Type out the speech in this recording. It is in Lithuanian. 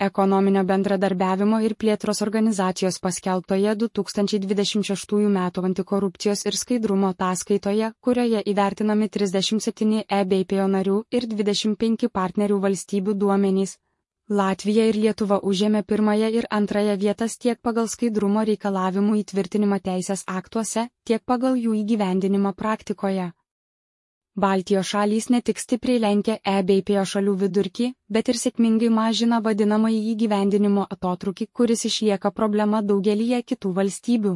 Ekonominio bendradarbiavimo ir plėtros organizacijos paskelbtoje 2026 m. antikorupcijos ir skaidrumo ataskaitoje, kurioje įvertinami 37 EBPO narių ir 25 partnerių valstybių duomenys, Latvija ir Lietuva užėmė pirmąją ir antrąją vietas tiek pagal skaidrumo reikalavimų įtvirtinimą teisės aktuose, tiek pagal jų įgyvendinimą praktikoje. Baltijos šalys ne tik stipriai lenkia EBPO šalių vidurkį, bet ir sėkmingai mažina vadinamąjį įgyvendinimo atotrūkį, kuris išlieka problema daugelyje kitų valstybių.